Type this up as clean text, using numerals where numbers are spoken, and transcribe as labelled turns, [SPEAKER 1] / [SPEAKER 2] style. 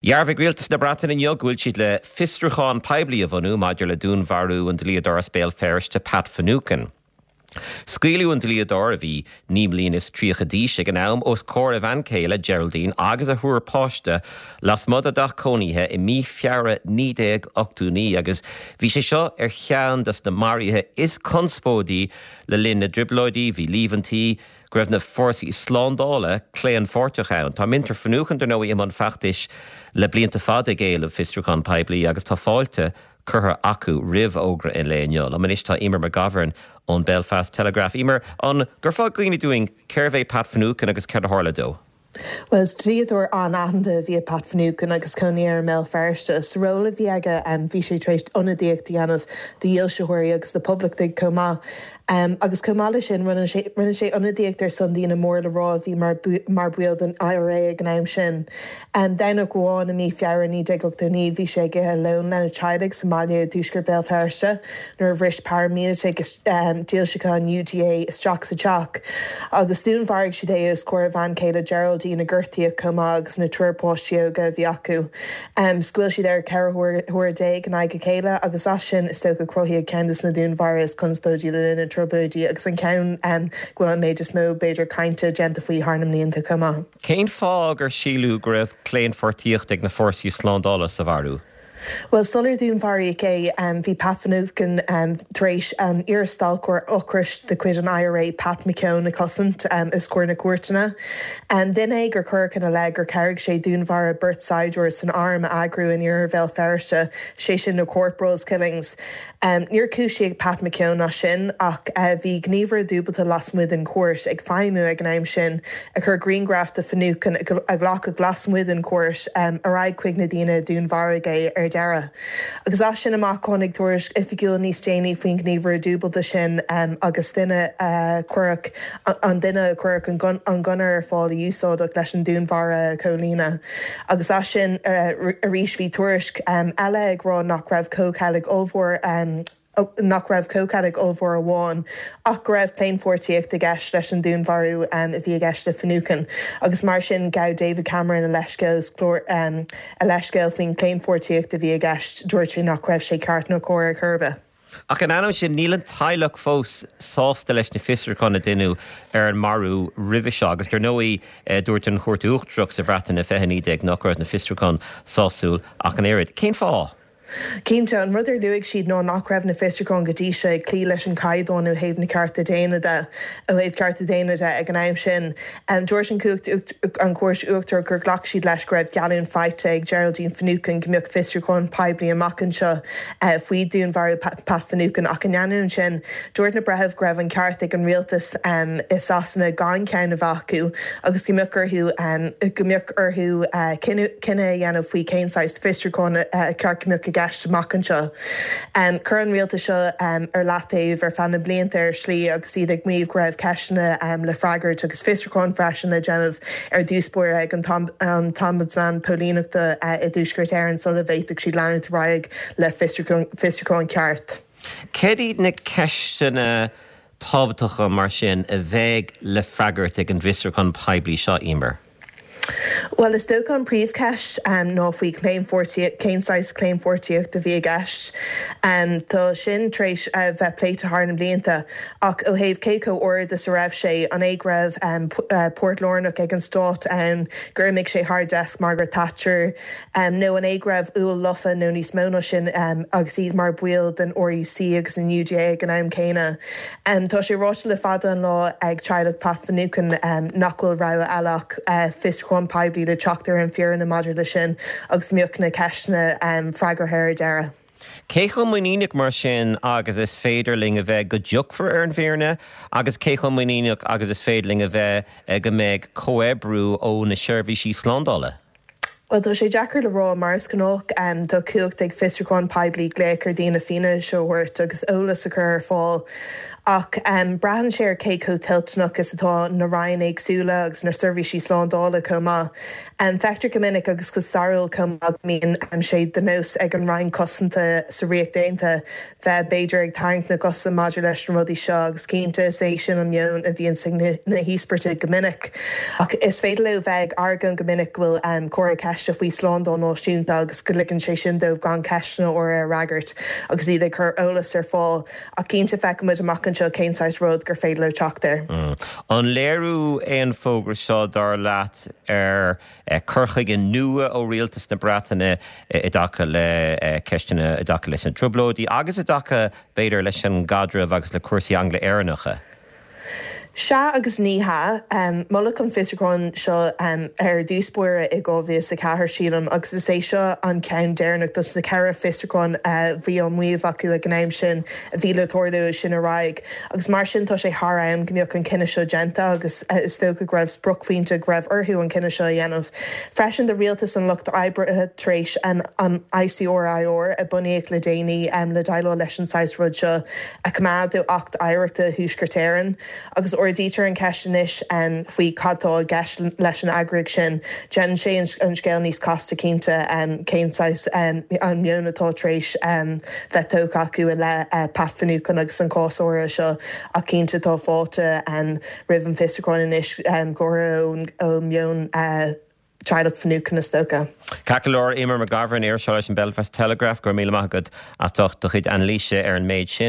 [SPEAKER 1] Dhearbhaigh Rialtas na Breataine inniu go bhfuil siad le fiosrúchán poiblí a bhunú maidir le dúnmharú an dlíodóra as Béal Feirste, Pat Finucane. Scaoileadh an dlíodóir, a bhí 39 mbliana d'aois ag an am, os comhair a bhean chéile, Geraldine, agus a thriúr páiste lasmuigh dá dteach cónaithe i mí Feabhra 1989 agus bhí sé seo ar cheann de na maruithe is conspóidí le linn na dTrioblóidí. Bhí líomhaintí go raibh na fórsaí slándála claonpháirteach ann. Tá muintir Finucane, dar ndóigh, i mbun feachtais le blianta fada ag éileamh fiosrúchán poiblí agus tá fáilte curtha acu roimh fhógra an lae inniu. Liom anois tá Eimear McGovern ón Belfast Telegraph. Eimear, an gcuirfeá i gcuimhne dúinn cérbh é Pat Finucane agus céard a tharla dó?
[SPEAKER 2] Bhuel, is dlíodóir an-aitheanta a bhí i Pat Finucane agus cónaí air i mBéal Feirste. Sa ról a bhí aige, bhí sé tar éis ionadaíocht a dhéanamh do dhílseoirí agus do phoblachtaigh chomh maith. Agus chomh maith leis sin, rinne sé rinne sé ionadaíocht ar son daoine mór le rá a bhí mar mar bhaill den IRA ag an am sin. Domhnach amháin i mí Feabhra 1989 bhí sé ag ithe lóin lena teaghlaigh sa mbaile i dtuaisceart Béal Feirste nuair a bhris paraimíleataigh dílseacha an UDA isteach sa teach agus dúnmharaigh siad é os comhair a bhean chéile Geraldine a gortaíodh chomh maith agus na triúr páistí óga a bhí acu. Scaoil siad air 14 huaire in aghaidh a chéile agus as sin is dócha cruthaíodh ceann de na dúnmharuithe is conspóidí le linn na dTrioblóidí agus an ceann go bhfuil an méid is mó, b'fhéidir, cainte déanta faoi thar na mblianta chomh maith.
[SPEAKER 1] Cén fáth gur síleadh go raibh claonpháirtíocht ag na fórsaí slándála sa mharú?
[SPEAKER 2] Bhuel, sular dúnmharaíodh é, bhí Pat Finucane tar éis an iar-stailceoir ocrais de chuid an IRA, Pat McKeown, a chosaint os comhair na cúirteanna. Duine é gur cuireadh ina leith gur chabhraigh sé dúnmharú beirt saighdiúir san arm a eagrú in iarthar Bhéal Feirste, sé sin na Corporals Killings. Níor cúisíodh Pat McKeown as sin ach bhí gníomhaire dúbailte lasmuigh den chúirt ag feidhmiú ag an am sin a chuir grianghraf de Finucane a glacadh lasmuigh den chúirt ar aghaidh chuig na daoine a dúnmharaigh é ar deireadh. Agus as sin amach tháinig tuairisc oifigiúil níos déanaí faoin ghníomhaire dúbailte sin agus duine a cuireadh an duine a cuireadh an gunna ar fáil a úsáideadh leis an dúnmharú a chomhlíonadh. Agus as sin arís bhí tuairisc eile ag rá nach raibh comhcheilg ollmhór nach raibh comhcheilg ollmhór amháin ach go raibh claonpháirtíocht i gceist leis an dúnmharú a bhí i gceist le Finucane. Agus mar sin ghabh David Cameron a leithscéal a leithscéal faoin chlaonpháirtíocht a bhí i gceist. Dúirt sé nach raibh sé ceart nó cóir ar chor ar bith.
[SPEAKER 1] Ach in ainneoin sin, níl an teaghlach fós sásta leis na fiosrúcháin a deineadh ar an marú roimhe seo agus, dar ndóigh, dúirt an Chúirt Uachtarach sa Bhreatain i 2019 nach raibh na fiosrúcháin sásúil ach an oiread. Cén fáth?
[SPEAKER 2] Cinnte, an rud ar luaigh siad ná nach raibh na fiosrúcháin go dtí seo ag cloí leis an chaighdeán ó thaobh na cearta daonna de, ó thaobh cearta daonna de ag an am sin. Dúirt an an Chúirt Uachtarach gur ghlac siad leis go raibh geallúint faighte ag Geraldine Finucane go mbeadh fiosrúchán poiblí amach anseo faoi dhúnmharú Pat Finucane ach in ainneoin sin, dúirt na breithimh go raibh an ceart ag an rialtas i Sasana gan ceann a bheith acu agus go mbeadh orthu go mbeadh orthu cinneadh a dhéanamh faoi cén saghas fiosrúcháin ar cheart go mbeadh i gceist amach anseo. Cuireadh an rialtas seo ar leataobh ar feadh na mblianta ar shlí agus iad ag maíomh go raibh ceisteanna le freagairt agus fiosrúcháin freisin le déanamh ar dtús báire ag an tOmbudsman Póilíneachta i dTuaisceart Éireann sula bhféadfadh siad leanúint ar aghaidh le fiosrúchán ceart.
[SPEAKER 1] Céard iad na ceisteanna tábhachtacha mar sin a bheidh le freagairt ag an bhfiosrúchán poiblí seo, Eimear?
[SPEAKER 2] Bhuel, is dócha an príomhcheist ná faoi chlaonpháirtíocht, cén saghas claonpháirtíocht a bhí i gceist. Tá sin tar éis a bheith pléite thar na blianta, ach ó thaobh cé chomh ard is a raibh sé, an é go raibh páirt lárnach ag an stát ann, gur imigh sé thar deasc Margaret Thatcher, nó an é go raibh úll lofa nó níos mó ná sin agus iad mar bhaill den RUC agus an UDA ag an am céanna. Tá sé ráite le fada an lá ag teaghlach Pat Finucane nach bhfuil rogha eile ach fiosrúchán poiblí le teacht ar an bhfírinne maidir leis sin agus go mbeadh na ceisteanna freagartha ar deireadh.
[SPEAKER 1] Cé chomh muiníneach mar sin agus is féidir linn a bheith go dtiocfar ar an bhfírinne agus cé chomh muiníneach agus is féidir linn a bheith go mbeidh comhoibriú ó na seirbhísí slándála?
[SPEAKER 2] Bhuel, tá sé deacair le rá. Mar is gnách, tá cumhacht ag fiosrúchán poiblí glaoch ar dhaoine fianaise a thabhairt agus eolas a chur ar fáil. Ach braitheann sé ar cé chomh toilteanach is atá na ranna éagsúla agus na seirbhísí slándála chomh maith. Feictear go minic agus go stairiúil chomh maith go mbíonn sé de nós ag an Roinn Cosanta sa Ríocht Aontaithe bheith b'fhéidir ag tarraingt na gcosa maidir leis na rudaí seo agus cinnte is é sin an meon a bhíonns ag na híospartaigh go minic. Ach is féidir leo bheith ag argóint go minic go bhfuil comhartha ceiste faoi slándáil náisiúnta agus go ligeann sé sin dóibh gan ceisteanna áirithe a fhreagairt agus iad ag cur eolas ar fáil. Ach cinnte feicfidh muid amach anseo cén saghas rud gur féidir leo teacht air.
[SPEAKER 1] An léiriú é an fógra seo, dar leat, ar cur chuige nua ó rialtas na Breataine i dtaca le ceisteanna i dtaca leis na Trioblóidí agus i dtaca, b'fhéidir, leis an gcaidreamh agus le cúrsaí Angla-Éireannacha?
[SPEAKER 2] Sea agus ní hea. Moladh an fiosrúchán seo ar dtús báire i 2004, sílim, agus is é seo an ceann deireanach dos na ceithre fiosrúchán a bhí á maíomh acu ag an am sin a bhí le tarlú ó sin ar aghaidh. Agus mar sin tá sé thar am go mbeadh an cinneadh seo déanta agus is dócha go raibh spriocphointe go raibh orthu an cinneadh seo a dhéanamh. Freisin tá rialtas an Lucht Oibre tar éis an ICRIR a bunaíodh le déanaí le déileáil leis an saghas rud seo a choimeád ó Acht Oidhreachta Thuaisceart Éireann. Agus ardaítear an cheist anois faoi cad tá i gceist leis an eagraíocht sin. Déanann sé an scéal níos casta cinnte, cén saghas an meon atá tar éis bheith tógtha acu i leith Pat Finucane agus an cás áirithe seo ach cinnte tá fáilte roimh an bhfiosrúchán anois, go háirithe ó mheon teaghlach Finucane is dócha.
[SPEAKER 1] Ceart go leor, Eimear McGovern, iriseoir leis an Belfast Telegraph, go raibh míle maith agat as ucht do chuid anailíse ar an méid sin.